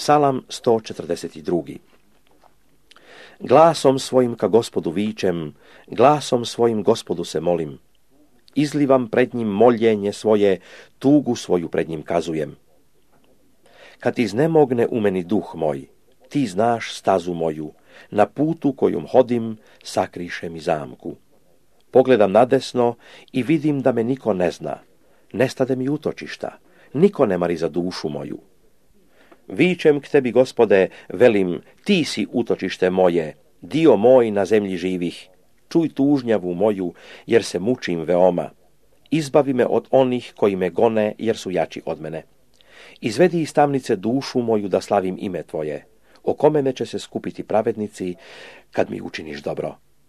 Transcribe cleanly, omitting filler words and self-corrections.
Psalam 142. Glasom svojim ka Gospodu vičem, glasom svojim Gospodu se molim. Izlivam pred njim moljenje svoje, tugu svoju pred njim kazujem. Kad iznemogne u meni duh moj, ti znaš stazu moju, na putu kojom hodim sakriše mi zamku. Pogledam nadesno i vidim da me niko ne zna, nestade mi utočišta, niko ne mari za dušu moju. Vičem k tebi, Gospode, velim, ti si utočište moje, dio moj na zemlji živih. Čuj tužnjavu moju, jer se mučim veoma. Izbavi me od onih koji me gone, jer su jači od mene. Izvedi iz tamnice dušu moju da slavim ime tvoje. Oko mene će se skupiti pravednici, kad mi učiniš dobro.